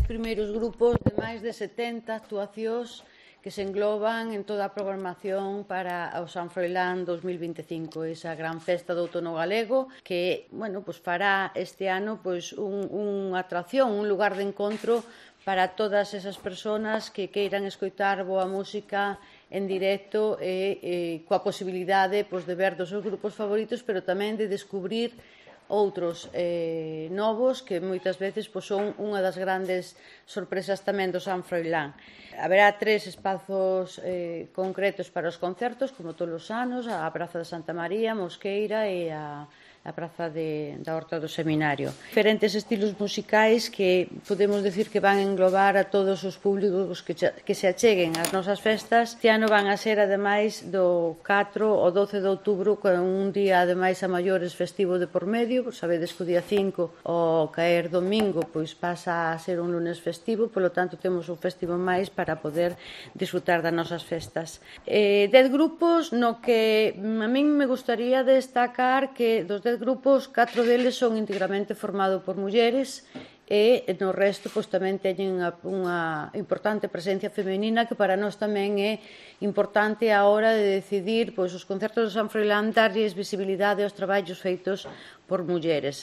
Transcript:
primeiros grupos de máis de 70 actuacións que se engloban en toda a programación para o San Froilán 2025, esa gran festa do outono galego que, bueno, pues fará este ano pues unha atracción, un lugar de encontro para todas esas persoas que queiran escoitar boa música en directo e coa posibilidade pues, de ver dos seus grupos favoritos, pero tamén de descubrir outros novos que moitas veces pues, son unha das grandes sorpresas tamén do San Froilán. Haberá 3 espazos concretos para os concertos, como todos os anos, a Praza de Santa María, Mosqueira e a Praza da Horta do Seminario. Diferentes estilos musicais que podemos decir que van englobar a todos os públicos que se acheguen ás nosas festas. Este ano van a ser, ademais, do 4 ao 12 de outubro, con un día, ademais, a maiores festivo de por medio. Sabedes que o día 5, ao caer domingo, pois pasa a ser un lunes festivo, polo tanto, temos un festivo máis para poder disfrutar das nosas festas. 10 grupos no que a min me gustaría destacar que dos 10 grupos, 4 deles son integramente formados por mulleres e no resto pois, tamén teñen unha importante presencia femenina que para nós tamén é importante a hora de decidir pois, os concertos do San Froilán darlles visibilidade aos traballos feitos por mulleres.